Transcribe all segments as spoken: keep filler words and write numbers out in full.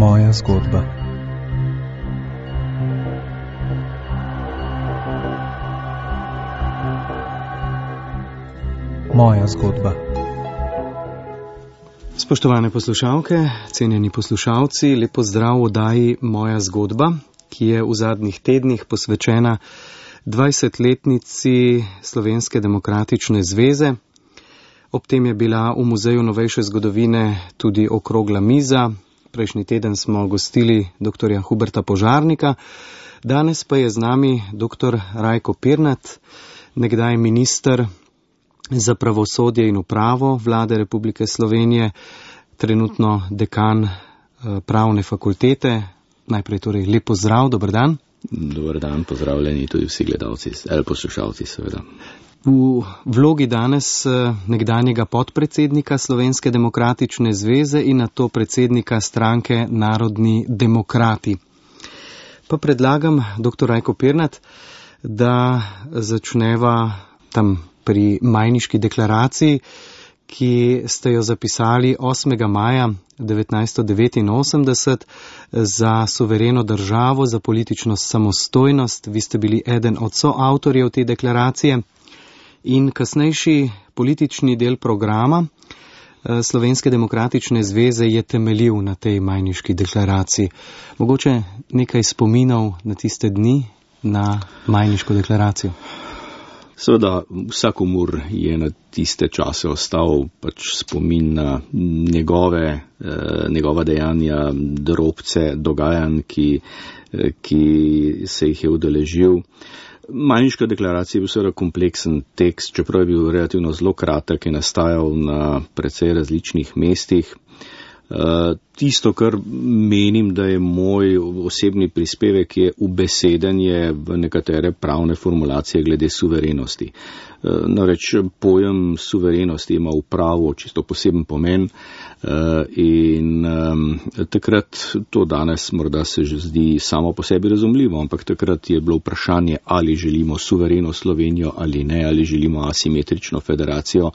Moja zgodba. Moja zgodba. Spoštovane poslušalke, cenjeni poslušalci, lep pozdrav v oddaji Moja zgodba, ki je v zadnjih tednih posvečena dvajsetletnici Slovenske demokratične zveze. Ob tem je bila v Muzeju novejše zgodovine tudi okrogla miza. Prejšnji teden smo gostili doktorja Huberta Požarnika, danes pa je z nami doktor Rajko Pirnat, nekdaj minister za pravosodje in upravo Vlade Republike Slovenije, trenutno dekan pravne fakultete. Najprej torej lep pozdrav, dober dan. Dober dan, pozdravljeni tudi vsi gledalci, ali poslušalci seveda. V vlogi danes nekdanjega podpredsednika Slovenske demokratične zveze in nato predsednika stranke Narodni demokrati. Pa predlagam, doktor Rajko Pirnat, da začneva tam pri Majniški deklaraciji, ki ste jo zapisali osmega maja devetnajststo devetinosemdeset za suvereno državo, za politično samostojnost. Vi ste bili eden od soavtorjev te deklaracije in kasnejši politični del programa Slovenske demokratične zveze je temeljil na tej Majniški deklaraciji. Mogoče nekaj spominov na tiste dni, na Majniško deklaracijo? Seveda, vsakomur je na tiste čase ostal pač spomin na njegove, eh, njegova dejanja, drobce, dogajanj, ki, eh, ki se jih je udeležil. Majniška deklaracija je bil seveda kompleksen tekst, čeprav je bil relativno zelo kratek, je nastajal na precej različnih mestih. Uh, tisto, kar menim, da je moj osebni prispevek, je ubesedenje v nekatere pravne formulacije glede suverenosti. Uh, Namreč pojem suverenosti ima v pravu čisto poseben pomen uh, in um, takrat, to danes morda se že zdi samo po sebi razumljivo, ampak takrat je bilo vprašanje, ali želimo suvereno Slovenijo ali ne, ali želimo asimetrično federacijo uh,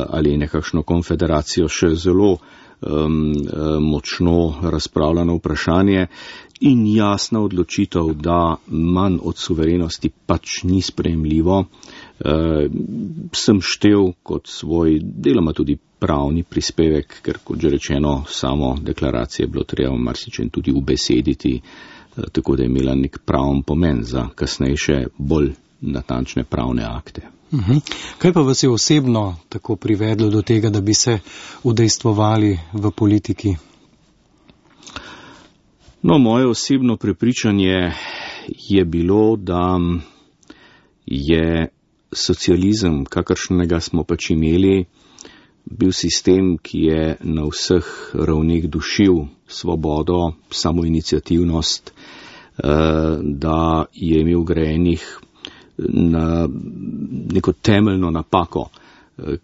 ali nekakšno konfederacijo, še zelo Um, močno razpravljano vprašanje in jasna odločitev, da manj od suverenosti pač ni sprejemljivo, uh, sem štel kot svoj deloma tudi pravni prispevek, ker kot že rečeno, samo deklaracije je bilo treba marsičem tudi ubesediti, uh, tako da je imela nek praven pomen za kasnejše bolj natančne pravne akte. Uhum. Kaj pa vas je osebno tako privedlo do tega, da bi se udejstvovali v politiki? No, moje osebno prepričanje je bilo, da je socializem, kakršnega smo pač imeli, bil sistem, ki je na vseh ravneh dušil svobodo, samoiniciativnost, da je imel grajenih na neko temeljno napako,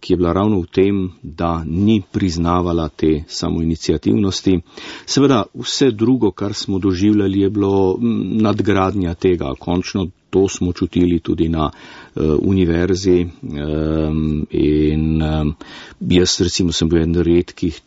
ki je bila ravno v tem, da ni priznavala te samoiniciativnosti. Seveda vse drugo, kar smo doživljali, je bilo nadgradnja tega. Končno to smo čutili tudi na uh, univerzi um, in um, jaz recimo sem bil eden redkih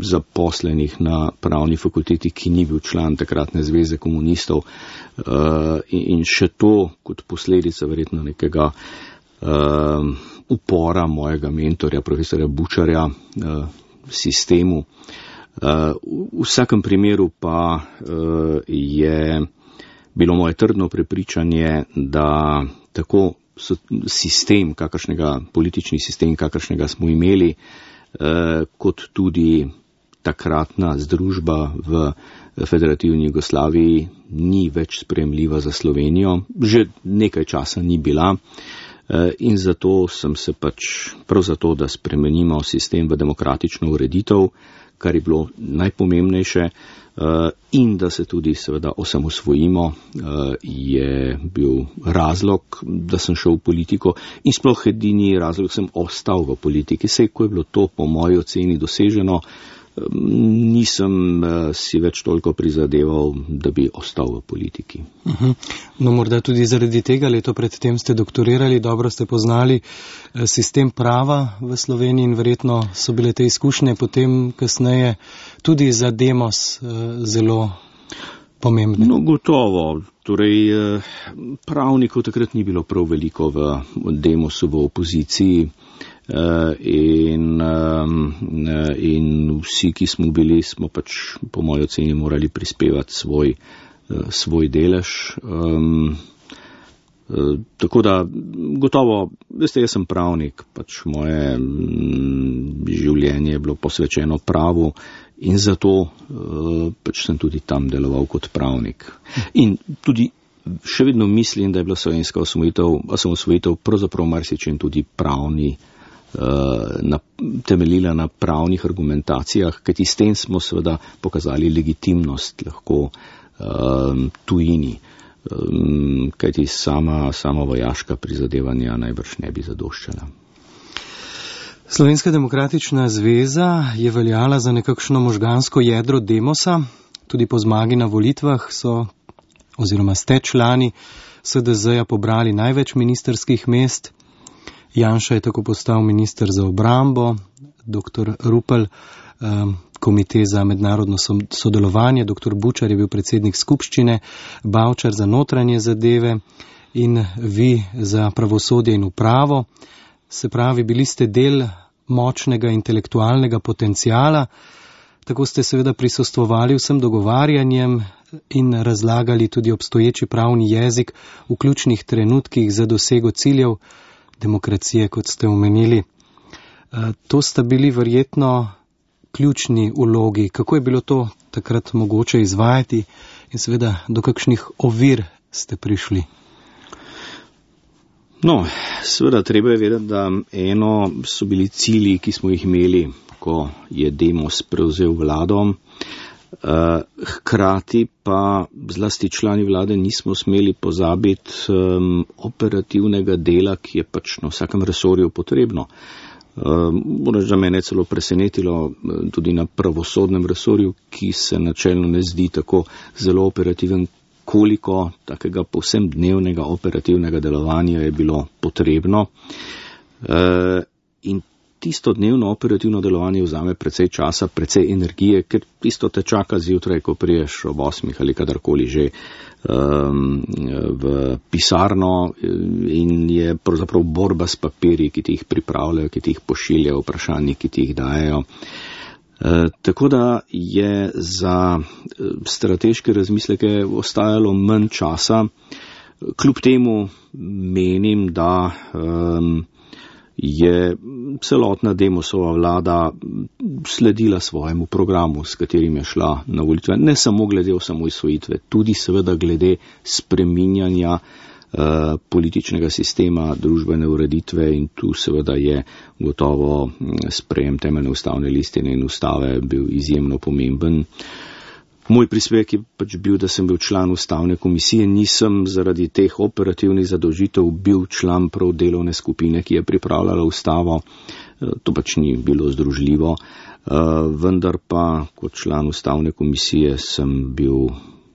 zaposlenih na pravni fakulteti, ki ni bil član takratne zveze komunistov, uh, in, in še to kot posledica verjetno nekega uh, upora mojega mentorja, profesorja Bučarja, uh, sistemu. Uh, v vsakem primeru pa uh, je bilo moje trdno prepričanje, da tako sistem, kakršnega, politični sistem, kakršnega smo imeli, kot tudi takratna združba v federativni Jugoslaviji ni več sprejemljiva za Slovenijo. Že nekaj časa ni bila in zato sem se pač prav zato, da spremenimo sistem v demokratično ureditev, kar je bilo najpomembnejše, in da se tudi seveda osamosvojimo, je bil razlog, da sem šel v politiko in sploh edini razlog, sem ostal v politiki. Sej, ko je bilo to po moji oceni doseženo, nisem si več toliko prizadeval, da bi ostal v politiki. Uh-huh. No, morda tudi zaradi tega, leto predtem ste doktorirali, dobro ste poznali sistem prava v Sloveniji in verjetno so bile te izkušnje potem kasneje tudi za Demos zelo pomembne. No, gotovo. Torej, pravnikov takrat ni bilo prav veliko v Demosu, v opoziciji. In, in vsi, ki smo bili, smo pač po moji oceni morali prispevati svoj, svoj delež. Um, tako da, gotovo, veste, jaz sem pravnik, pač moje m, življenje je bilo posvečeno pravu in zato uh, pač sem tudi tam deloval kot pravnik. In tudi še vedno mislim, da je bila slovenska osvojitev, osvojitev pravzaprav marsičem tudi pravni, Na, temeljila na pravnih argumentacijah, kajti s tem smo seveda pokazali legitimnost lahko um, tujini, um, kajti sama, sama vojaška prizadevanja najbrž ne bi zadoščala. Slovenska demokratična zveza je veljala za nekakšno možgansko jedro Demosa, tudi po zmagi na volitvah so, oziroma ste člani S D Z-ja pobrali največ ministerskih mest. Janša je tako postal minister za obrambo, doktor Rupel, komite za mednarodno sodelovanje, doktor Bučar je bil predsednik skupščine, Bavčar za notranje zadeve in vi za pravosodje in upravo. Se pravi, bili ste del močnega intelektualnega potencijala, tako ste seveda prisostvovali vsem dogovarjanjem in razlagali tudi obstoječi pravni jezik v ključnih trenutkih za dosego ciljev demokracije, kot ste omenili. To sta bili verjetno ključni vlogi. Kako je bilo to takrat mogoče izvajati in seveda do kakšnih ovir ste prišli? No, seveda treba je vedeti, da eno so bili cilji, ki smo jih imeli, ko je Demos prevzel vlado. Hkrati pa zlasti člani vlade nismo smeli pozabiti um, operativnega dela, ki je pač na vsakem resorju potrebno. Moram reči, da mene je celo presenetilo tudi na pravosodnem resorju, ki se načelno ne zdi tako zelo operativen, koliko takega povsem dnevnega operativnega delovanja je bilo potrebno. Uh, in tisto dnevno operativno delovanje vzame precej časa, precej energije, ker tisto te čaka zjutraj, ko priješ ob osmih ali kadarkoli že um, v pisarno in je pravzaprav borba s papirji, ki ti jih pripravljajo, ki ti jih pošiljajo, vprašanji, ki ti jih dajejo. E, tako da je za strateške razmisleke ostajalo manj časa. Kljub temu menim, da um, je celotna Demosova vlada sledila svojemu programu, s katerim je šla na volitve, ne samo glede osamosvojitve, tudi seveda glede spreminjanja uh, političnega sistema, družbene ureditve in tu seveda je gotovo sprejem temeljne ustavne listine in ustave bil izjemno pomemben. Moj prispevek je pač bil, da sem bil član ustavne komisije, nisem zaradi teh operativnih zadolžitev bil član prav delovne skupine, ki je pripravljala ustavo. To pač ni bilo združljivo, vendar pa kot član ustavne komisije sem bil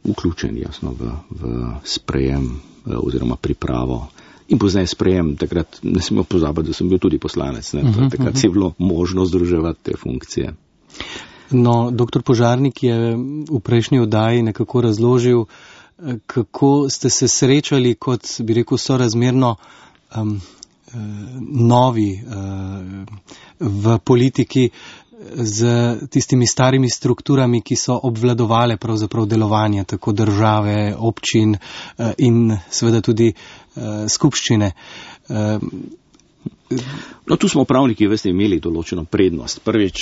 vključen jasno v, v sprejem oziroma pripravo. In pozneje sprejem, takrat ne smemo pozabiti, da sem bil tudi poslanec, ne? Uh-huh, takrat uh-huh. je bilo možno združevati te funkcije. No, doktor Požarnik je v prejšnji oddaji nekako razložil, kako ste se srečali kot, bi rekel, sorazmerno um, novi uh, v politiki z tistimi starimi strukturami, ki so obvladovale pravzaprav delovanje tako države, občin uh, in seveda tudi uh, skupščine. Uh, No, tu smo pravniki, veste, imeli določeno prednost. Prvič,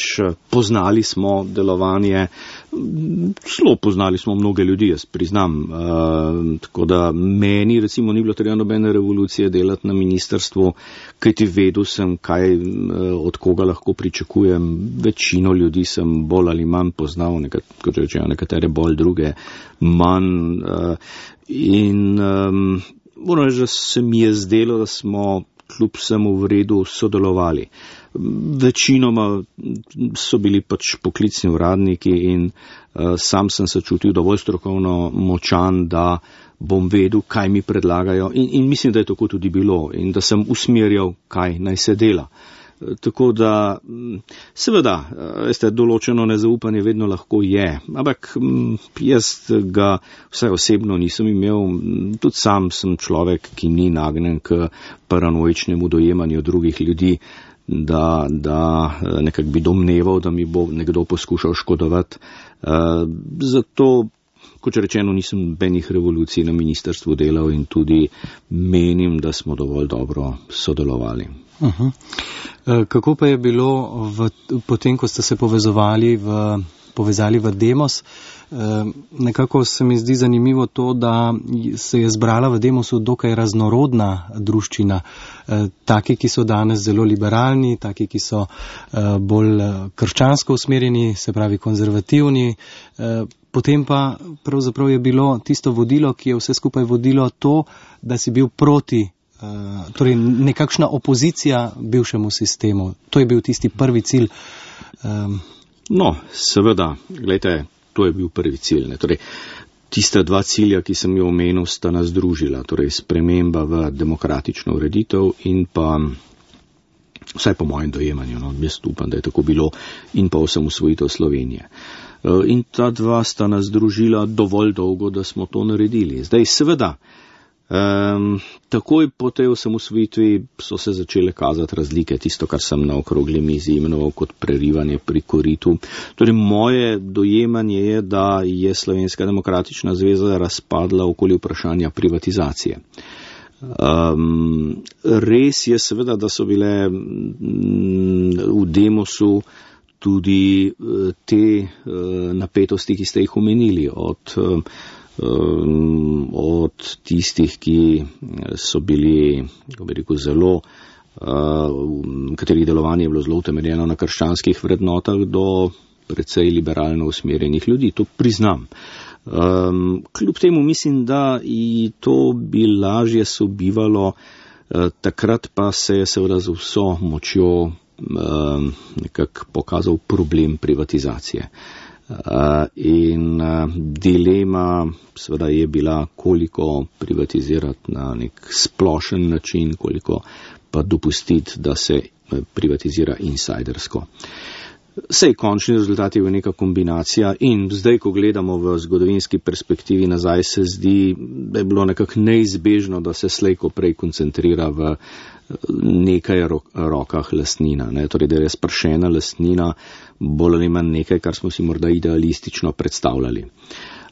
poznali smo delovanje, zelo poznali smo mnoge ljudi, jaz priznam. E, tako da meni, recimo, ni bilo treba nobene revolucije delati na ministrstvu, kajti vedel sem, kaj, od koga lahko pričakujem. Večino ljudi sem bolj ali manj poznal, nekat, kot rečejo, nekatere bolj, druge manj. E, in um, moram reči, da se mi je zdelo, da smo kljub vsemu v redu sodelovali. Večinoma so bili pač poklicni uradniki in uh, sam sem se čutil dovolj strokovno močan, da bom vedel, kaj mi predlagajo in, in mislim, da je tako tudi bilo in da sem usmerjal, kaj naj se dela. Tako da, seveda, veste, določeno nezaupanje vedno lahko je, ampak jaz ga vsaj osebno nisem imel, tudi sam sem človek, ki ni nagnjen k paranoičnemu dojemanju drugih ljudi, da, da nekako bi domneval, da mi bo nekdo poskušal škodovati. Zato, kot rečeno, nisem benih revolucij na ministrstvu delal in tudi menim, da smo dovolj dobro sodelovali. Uh-huh. Kako pa je bilo v, potem, ko ste se povezovali v, povezali v Demos? Nekako se mi zdi zanimivo to, da se je zbrala v Demosu dokaj raznorodna druščina. Taki, ki so danes zelo liberalni, taki, ki so bolj krščansko usmerjeni, se pravi konzervativni. Potem pa pravzaprav je bilo tisto vodilo, ki je vse skupaj vodilo to, da si bil proti Uh, torej nekakšna opozicija bivšemu sistemu. To je bil tisti prvi cilj. Um. No, seveda, gledajte, to je bil prvi cilj. Ne? Torej, tista dva cilja, ki sem jo omenil, sta nas združila. Torej, sprememba v demokratično ureditev in pa, vsaj po mojem dojemanju, no, jaz upam, da je tako bilo, in pa osamosvojitev Slovenije. Uh, in ta dva sta nas združila dovolj dolgo, da smo to naredili. Zdaj, seveda, Um, takoj po tej osamosvojitvi so se začele kazati razlike, tisto, kar sem na okrogli mizi imenoval kot prerivanje pri koritu. Torej, moje dojemanje je, da je Slovenska demokratična zveza razpadla okoli vprašanja privatizacije. Um, res je seveda, da so bile v Demosu tudi te napetosti, ki ste jih omenili, od od tistih, ki so bili, kako bi rekel, zelo, katerih delovanje je bilo zelo utemeljeno na krščanskih vrednotah, do precej liberalno usmerjenih ljudi. To priznam. Kljub temu mislim, da i to bi lažje sobivalo, takrat pa se je seveda z vso močjo nekako pokazal problem privatizacije. Uh, in uh, dilema seveda je bila, koliko privatizirati na nek splošen način, koliko pa dopustiti, da se privatizira insajdersko. Sej končni rezultat je v neka kombinacija in zdaj, ko gledamo v zgodovinski perspektivi nazaj, se zdi, da je bilo nekako neizbežno, da se slejko prej koncentrira v nekaj rokah lastnina. Ne? Torej, da je razpršena lastnina bolj ali manj nekaj, kar smo si morda idealistično predstavljali.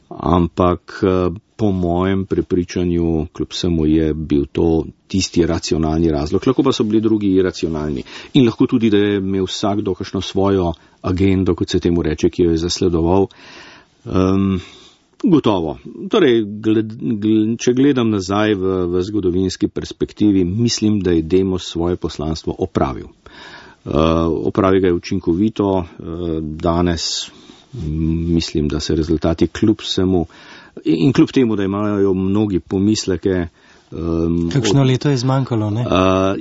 Ampak po mojem prepričanju, kljub vsemu, je bil to tisti racionalni razlog. Lahko pa so bili drugi iracionalni. In lahko tudi, da je imel vsakdo kakšno svojo agendo, kot se temu reče, ki jo je zasledoval. Um, gotovo. Torej, gled, gled, če gledam nazaj v, v zgodovinski perspektivi, mislim, da je Demos svoje poslanstvo opravil. Uh, opravi ga je učinkovito. Uh, danes mislim, da se rezultati kljub vsemu in kljub temu, da imajo mnogi pomisleke. Um, kakšno od, leto je zmanjkalo, ne? Uh,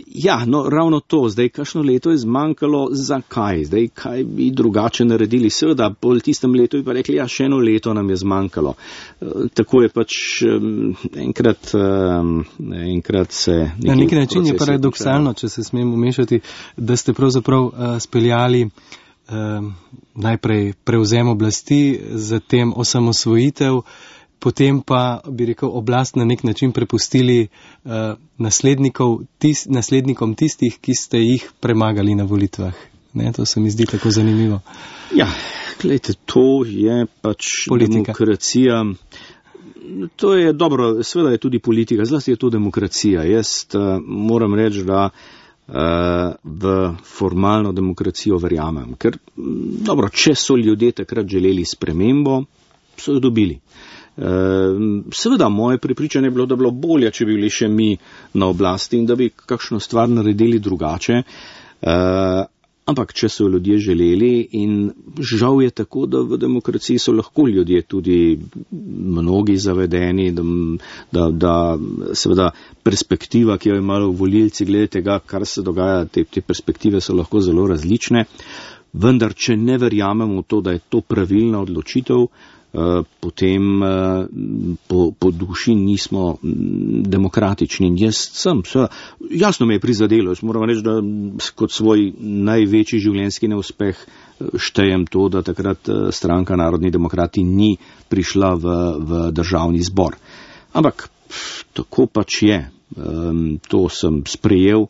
ja, no, ravno to. Zdaj, kakšno leto je zmanjkalo, zakaj? Zdaj, kaj bi drugače naredili? Seveda, po tistem letu bi pa rekli, ja, še eno leto nam je zmanjkalo. Uh, tako je pač um, enkrat, um, enkrat se... Na neki način je paradoksalno, če se smem umešati, da ste pravzaprav uh, speljali uh, najprej prevzem oblasti, zatem osamosvojitev, potem pa, bi rekel, oblast na nek način prepustili uh, naslednikov, tis, naslednikom tistih, ki ste jih premagali na volitvah. Ne, to se mi zdi tako zanimivo. Ja, gledajte, to je pač politika. Demokracija. To je dobro, seveda je tudi politika, zlasti je to demokracija. Jaz uh, moram reči, da uh, v formalno demokracijo verjamem. Ker, dobro, če so ljudje takrat želeli spremembo, so jo dobili. Uh, seveda, moje prepričanje je bilo, da bi bilo bolje, če bi bili še mi na oblasti in da bi kakšno stvar naredili drugače. Uh, Ampak, če so ljudje želeli, in žal je tako, da v demokraciji so lahko ljudje tudi mnogi zavedeni, da, da, da seveda perspektiva, ki jo imajo volilci glede tega, kar se dogaja, te, te perspektive so lahko zelo različne. Vendar, če ne verjamemo v to, da je to pravilna odločitev, potem po, po duši nismo demokratični. In jaz sem, sve, jasno me je prizadelo, jaz moram reči, da kot svoj največji življenjski neuspeh štejem to, da takrat stranka Narodni demokrati ni prišla v, v državni zbor. Ampak tako pač je, to sem sprejel,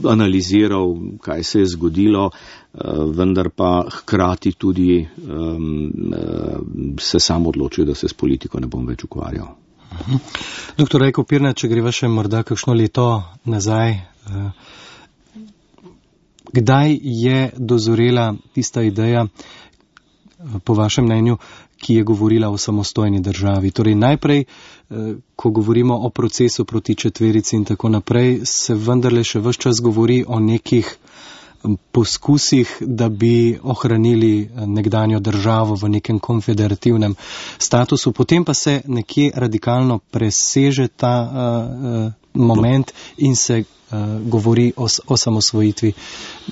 analiziral, kaj se je zgodilo, vendar pa hkrati tudi um, se sam odločil, da se s politiko ne bom več ukvarjal. Doktor Rajko Pirnat, če greva še morda kakšno leto nazaj, kdaj je dozorela tista ideja, po vašem mnenju, ki je govorila o samostojni državi? Torej najprej, ko govorimo o procesu proti četverici in tako naprej, se vendarle še ves čas govori o nekih poskusih, da bi ohranili nekdanjo državo v nekem konfederativnem statusu. Potem pa se nekje radikalno preseže ta uh, moment in se uh, govori o, o samosvojitvi.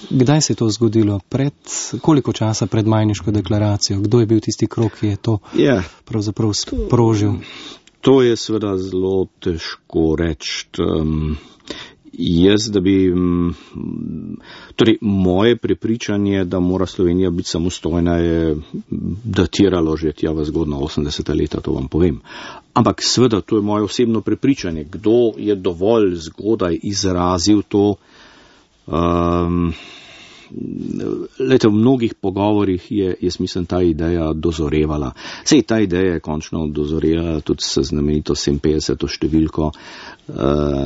Kdaj se je to zgodilo? Pred, koliko časa pred Majniško deklaracijo? Kdo je bil tisti krog, ki je to yeah. pravzaprav sprožil? To je seveda zelo težko reči. Um, jaz, da bi, torej moje prepričanje, da mora Slovenija biti samostojna, je datiralo že tja v zgodna osemdeseta leta, to vam povem. Ampak seveda, to je moje osebno prepričanje. Kdo je dovolj zgodaj izrazil to? Um, Lete, v mnogih pogovorih je, jaz mislim, ta ideja dozorevala. Sej, ta ideja je končno dozorela tudi s znamenito sedeminpetdeseto številko uh,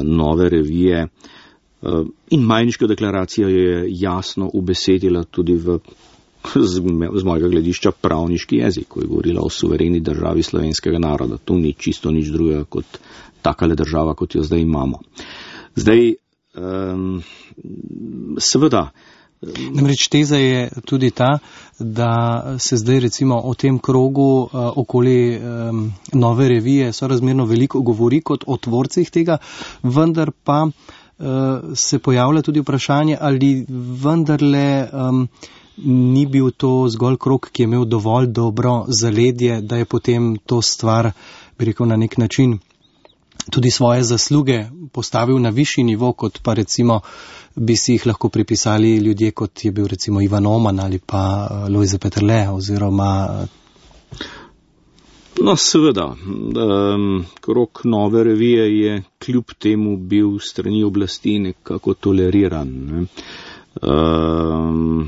nove revije. Uh, in Majniška deklaracija je jasno ubesedila tudi v, z, z mojega gledišča, pravniški jezik, ko je govorila o suvereni državi slovenskega naroda. To ni čisto nič drugega kot takale država, kot jo zdaj imamo. Zdaj, um, seveda, Namreč teza je tudi ta, da se zdaj recimo o tem krogu uh, okoli um, nove revije sorazmerno veliko govori kot o tvorcih tega, vendar pa uh, se pojavlja tudi vprašanje, ali vendarle um, ni bil to zgolj krog, ki je imel dovolj dobro zaledje, da je potem to stvar, bi rekel, na nek način tudi svoje zasluge postavil na višji nivo, kot pa recimo bi si jih lahko pripisali ljudje, kot je bil recimo Ivan Oman ali pa Lojze Peterle oziroma. No, seveda, um, krog nove revije je kljub temu bil strani oblasti nekako toleriran. Ne? Um,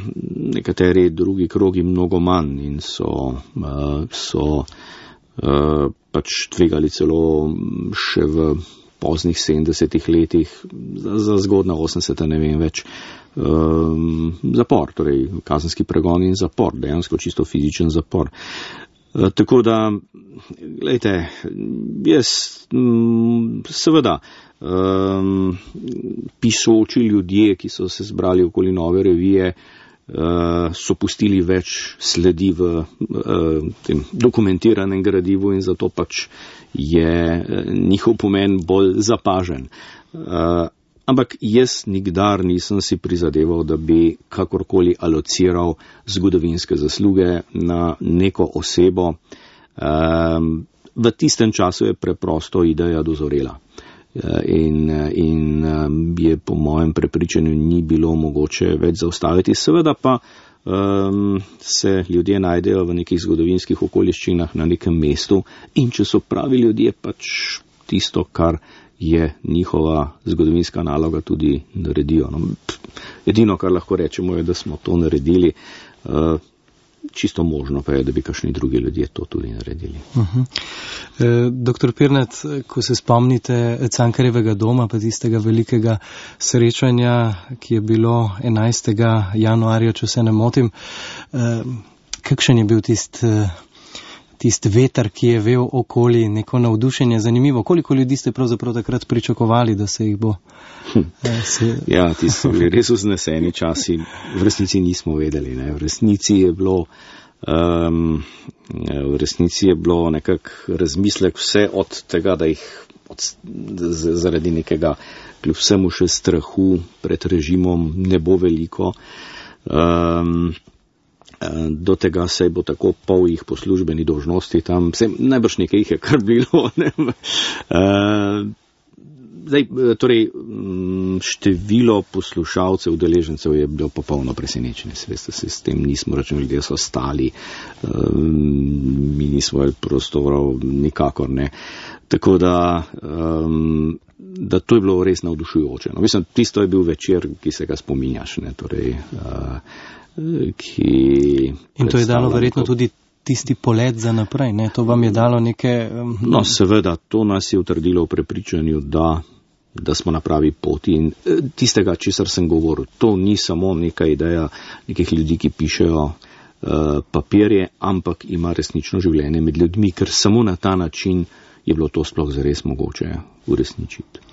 nekateri drugi krogi mnogo manj in so, uh, so uh, pač tvegali celo še v poznih sedemdesetih letih, za, za zgodna osemdeseta, ne vem več, um, zapor, torej kazenski pregon in zapor, dejansko čisto fizičen zapor. Uh, tako da, glejte, jaz m, seveda, um, pisoči ljudje, ki so se zbrali okoli nove revije, uh, so pustili več sledi v uh, tem dokumentiranem gradivu in zato pač je njihov pomen bolj zapažen. Uh, ampak jaz nikdar nisem si prizadeval, da bi kakorkoli alociral zgodovinske zasluge na neko osebo. Uh, v tistem času je preprosto ideja dozorela. Uh, in, in um, je po mojem prepričanju ni bilo mogoče več zaustaviti. Seveda pa Um, se ljudje najdejo v nekih zgodovinskih okoliščinah na nekem mestu in če so pravi ljudje, pač tisto, kar je njihova zgodovinska naloga, tudi naredijo. No, edino, kar lahko rečemo, je, da smo to naredili. Uh, čisto možno pa je, da bi kakšni drugi ljudje to tudi naredili. Uh-huh. E, doktor Pirnat, ko se spomnite Cankarjevega doma, pa tistega velikega srečanja, ki je bilo enajstega januarja, če se ne motim, e, kakšen je bil tist, tisti veter, ki je vel okoli, neko navdušenje. Zanimivo, koliko ljudi ste pravzaprav takrat pričakovali, da se jih bo? Hm. Se... Ja, ti so bili res vzneseni časi. V resnici nismo vedeli. Ne. V resnici je bilo, um, v resnici je bilo nekak razmislek vse od tega, da jih od, z, zaradi nekega kljub vsemu še strahu pred režimom ne bo veliko. Um, do tega se bo tako pol jih po službeni dolžnosti tam, vse, najbrž nekaj jih je kar bilo. Ne? Uh, zdaj, torej, število poslušalcev, udeležencev je bilo popolno presenečenje. Veste, se s tem nismo računali, ljudje so stali, um, mi nismo prostorov, nikakor ne. Tako da, um, da to je bilo res navdušujoče. No, mislim, tisto je bil večer, ki se ga spominjaš, ne, torej, uh, ki... In to je dalo verjetno tudi tisti polet za naprej, ne, to vam je dalo neke... Um, no, seveda, to nas je utrdilo v prepričanju, da, da smo na pravi poti in tistega, česar sem govoril, to ni samo neka ideja nekih ljudi, ki pišejo uh, papirje, ampak ima resnično življenje med ljudmi, ker samo na ta način je bilo to sploh zares mogoče uresničiti.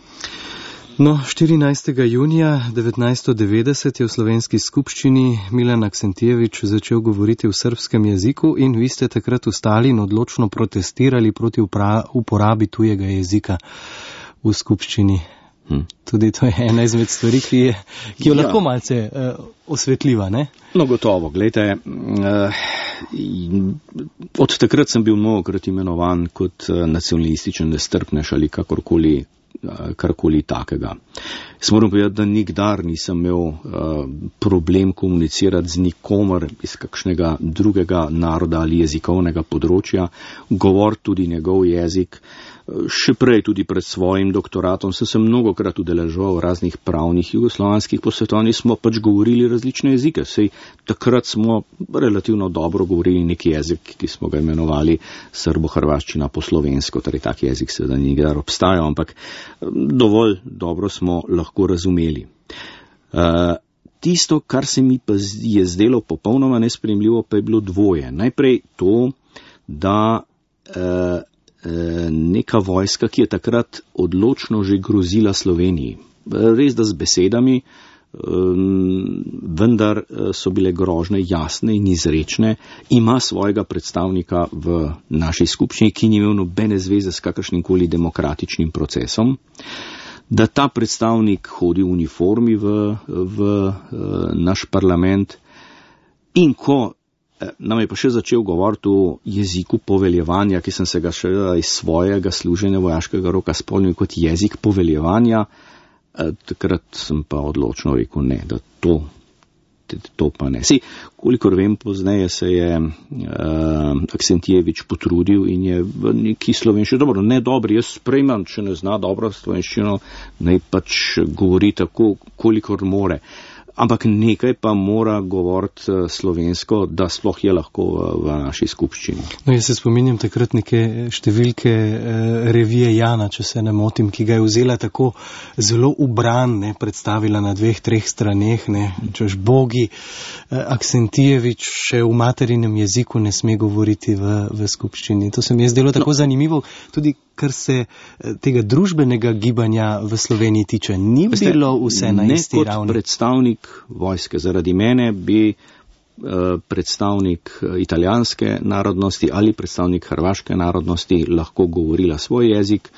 No, štirinajstega junija devetnajststo devetdeset je v slovenski skupščini Milan Aksentijevič začel govoriti v srbskem jeziku in vi ste takrat vstali in odločno protestirali proti uporabi tujega jezika v skupščini. Hm. Tudi to je ena izmed stvari, ki, je, ki jo ja. lahko malce uh, osvetljiva, ne? No, gotovo. Glejte, uh, od takrat sem bil mnogokrat imenovan kot uh, nacionalističen nestrpnež ali kakorkoli karkoli takega. Jaz moram povedati, da nikdar nisem imel uh, problem komunicirati z nikomer iz kakšnega drugega naroda ali jezikovnega področja, govor tudi njegov jezik. Še prej tudi pred svojim doktoratom sem se mnogokrat udeleževal raznih pravnih jugoslovanskih posvetovanj, smo pač govorili različne jezike. Sej takrat smo relativno dobro govorili neki jezik, ki smo ga imenovali srbo-hrvaščina po slovensko, torej tak jezik seveda nikdar obstajal, ampak dovolj dobro smo lahko razumeli. Uh, tisto, kar se mi pa je zdelo popolnoma nesprejemljivo, pa je bilo dvoje. Najprej to, da uh, neka vojska, ki je takrat odločno že grozila Sloveniji. Res da z besedami, vendar so bile grožne jasne in izrečne, ima svojega predstavnika v naši skupščini, ki ni imel nobene zveze s kakršnimkoli demokratičnim procesom, da ta predstavnik hodi v uniformi v, v naš parlament in ko nam je pa še začel govoriti o jeziku poveljevanja, ki sem se ga še iz svojega služenja vojaškega roka spomnil kot jezik poveljevanja, takrat sem pa odločno rekel ne, da to, to pa ne. Si, kolikor vem, pozneje se je uh, Aksentijevič potrudil in je v neki slovenščini, dobro, ne dobri, jaz sprejmem, če ne zna dobro slovenščino, naj pač govori tako, kolikor more. Ampak nekaj pa mora govoriti slovensko, da sploh je lahko v, v naši skupščini. No, jaz se spominjam takrat neke številke eh, revije Jana, če se ne motim, ki ga je vzela tako zelo ubran, ne, predstavila na dveh, treh straneh, ne, češ bogi, eh, Aksentijevič še v materinem jeziku ne sme govoriti v, v skupščini. To se mi je zdelo tako no. zanimivo, tudi kar se tega družbenega gibanja v Sloveniji tiče. Ni Veste, bilo vse na isti ravni. Ne kot predstavnik vojske. Zaradi mene bi uh, predstavnik italijanske narodnosti ali predstavnik hrvaške narodnosti lahko govorila svoj jezik.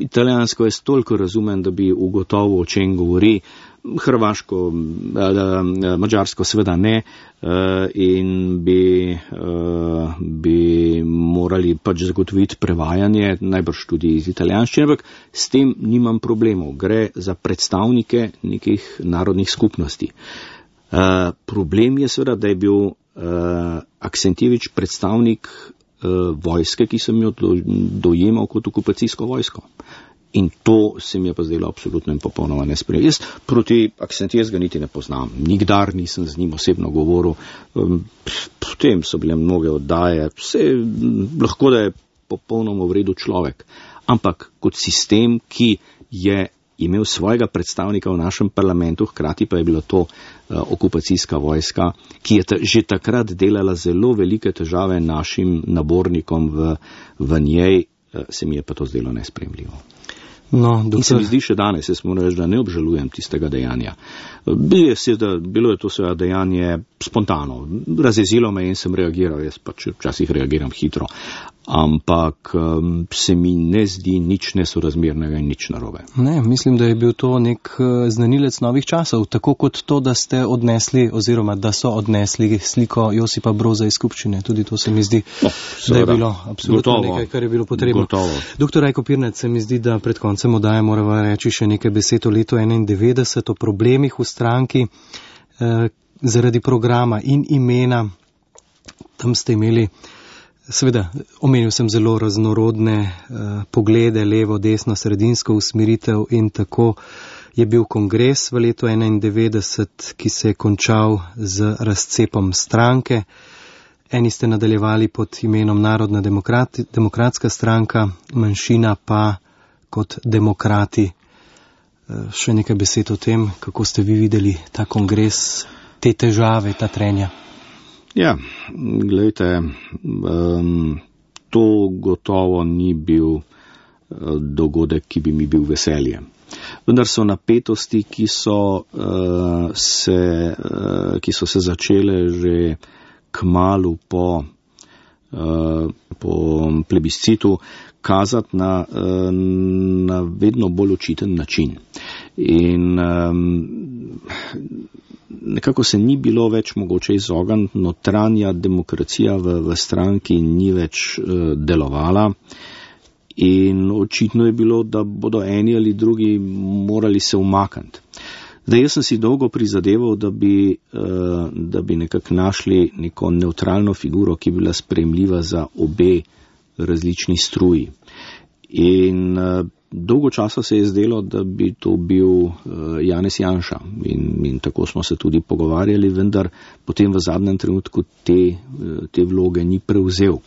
Italijansko je toliko razumem, da bi ugotovil, o čem govori. Hrvaško, mađarsko seveda ne in bi, bi morali pač zagotoviti prevajanje, najbrž tudi iz italijanščine, ampak s tem nimam problemov. Gre za predstavnike nekih narodnih skupnosti. Problem je seveda, da je bil Aksentijevič predstavnik vojske, ki sem jo dojemal kot okupacijsko vojsko. In to se mi je pa zdelo absolutno in popolnoma nesprejemljivo. Jaz proti Aksentijevega niti ne poznam. Nikdar nisem z njim osebno govoril. Potem so bile mnoge oddaje. Vse, lahko da je popolnoma v redu človek. Ampak kot sistem, ki je imel svojega predstavnika v našem parlamentu, hkrati pa je bila to uh, okupacijska vojska, ki je ta, že takrat delala zelo velike težave našim nabornikom v, v njej, uh, se mi je pa to zdelo nesprejemljivo. No, doktor... In se mi zdi še danes, jaz moram reči, da ne obžalujem tistega dejanja. Bilo je, da, bilo je to seveda dejanje spontano, razjezilo me in sem reagiral, jaz pač včasih reagiram hitro, ampak um, se mi ne zdi nič nesorazmernega in nič narobe. Ne, mislim, da je bil to nek znanilec novih časov, tako kot to, da ste odnesli oziroma da so odnesli sliko Josipa Broza iz skupščine. Tudi to se mi zdi, no, da je bilo absolutno gotovo, nekaj, kar je bilo potrebno. Gotovo. Doktor Rajko Pirnat, se mi zdi, da pred koncem oddaje moramo reči še nekaj besed o letu enaindevetdeset, o problemih v stranki eh, zaradi programa in imena. Tam ste imeli, seveda, omenil sem zelo raznorodne eh, poglede, levo, desno, sredinsko usmeritev in tako je bil kongres v letu enaindevetdeset, ki se je končal z razcepom stranke. Eni ste nadaljevali pod imenom Narodna demokrati, demokratska stranka, manjšina pa kot demokrati. Še nekaj besed o tem, kako ste vi videli ta kongres, te težave, ta trenja. Ja, gledajte, um, to gotovo ni bil uh, dogodek, ki bi mi bil veselje. Vendar so napetosti, ki so, uh, se, uh, ki so se začele že kmalu po, uh, po plebiscitu, kazati na, na vedno bolj očiten način. In um, nekako se ni bilo več mogoče izogniti, notranja demokracija v, v stranki ni več uh, delovala in očitno je bilo, da bodo eni ali drugi morali se umakniti. Zdaj, jaz sem si dolgo prizadeval, da bi, uh, da bi nekako našli neko neutralno figuro, ki bi bila sprejemljiva za obe različni struji. In uh, dolgo časa se je zdelo, da bi to bil uh, Janez Janša in, in tako smo se tudi pogovarjali, vendar potem v zadnjem trenutku te, uh, te vloge ni prevzel.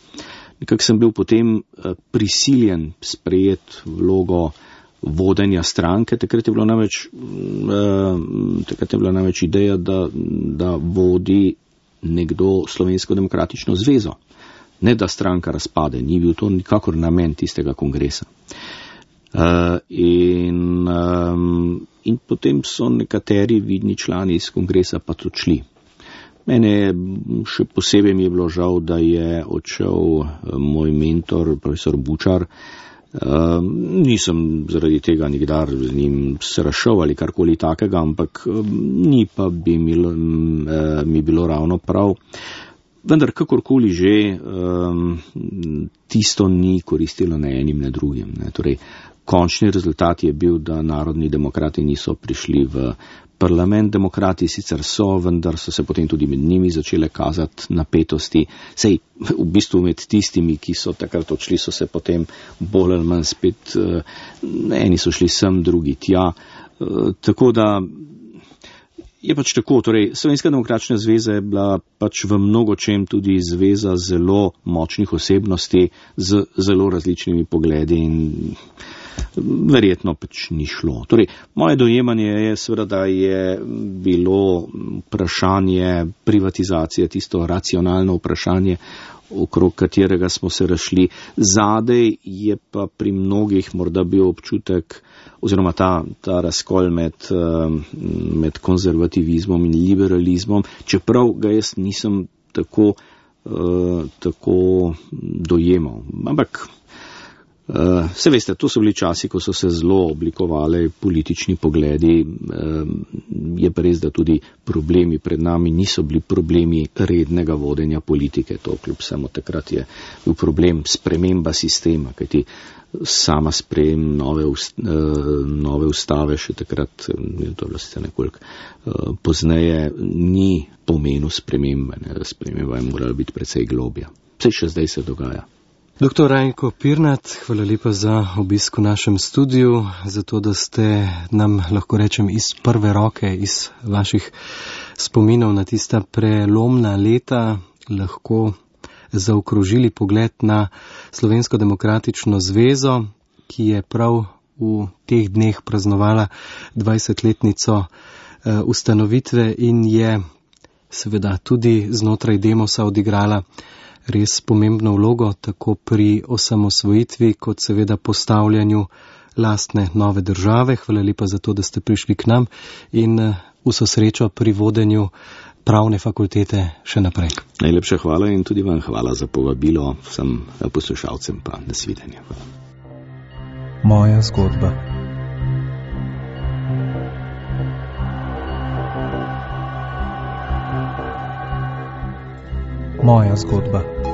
Nekako sem bil potem uh, prisiljen sprejeti vlogo vodenja stranke, takrat je bila namreč, uh, takrat je bila namreč ideja, da, da vodi nekdo Slovensko demokratično zvezo. Ne, da stranka razpade, ni bil to nikakor namen tistega kongresa. Uh, in, um, in potem so nekateri vidni člani iz kongresa pa tudi šli. Mene še posebej mi je bilo žal, da je odšel moj mentor, profesor Bučar. Uh, nisem zaradi tega nikdar z njim se razšel ali karkoli takega, ampak uh, ni pa bi mi, uh, mi bilo ravno prav. Vendar, kakorkoli že, um, tisto ni koristilo ne enim, ne drugim. Ne. Torej, končni rezultat je bil, da narodni demokrati niso prišli v parlament. Demokrati sicer so, vendar so se potem tudi med njimi začele kazati napetosti. Sej, v bistvu med tistimi, ki so takrat odšli, so se potem bolj ali manj spet, uh, eni so šli sem, drugi tja. Uh, tako da je pač tako, torej Slovenska demokratična zveza je bila pač v mnogočem tudi zveza zelo močnih osebnosti z zelo različnimi pogledi in verjetno pač ni šlo. Torej, moje dojemanje je seveda, da je bilo vprašanje privatizacije tisto racionalno vprašanje, okrog katerega smo se razšli. Zadej je pa pri mnogih morda bil občutek, oziroma ta, ta razkol med, med konzervativizmom in liberalizmom, čeprav ga jaz nisem tako, tako dojemal. Ampak Uh, se veste, to so bili časi, ko so se zelo oblikovali politični pogledi, uh, je pa res, da tudi problemi pred nami niso bili problemi rednega vodenja politike, to kljub samo takrat je bil problem sprememba sistema, kajti sama sprejem nove, ust, uh, nove ustave še takrat, to je bilo sicer nekoliko uh, pozneje, ni pomenil spremembe, ne, sprememba je morala biti precej globja. Vse še zdaj se dogaja. Doktor Rajko Pirnat, hvala lepa za obisk v našem studiu, za to, da ste nam, lahko rečem, iz prve roke, iz vaših spominov na tista prelomna leta lahko zaokrožili pogled na Slovensko demokratično zvezo, ki je prav v teh dneh praznovala dvajsetletnico ustanovitve in je seveda tudi znotraj Demosa odigrala res pomembno vlogo, tako pri osamosvojitvi, kot seveda postavljanju lastne nove države. Hvala lepa za to, da ste prišli k nam in vso srečo pri vodenju pravne fakultete še naprej. Najlepša hvala in tudi vam hvala za povabilo, vsem poslušalcem pa nasvidenje. Moja zgodba. Moja zgodba.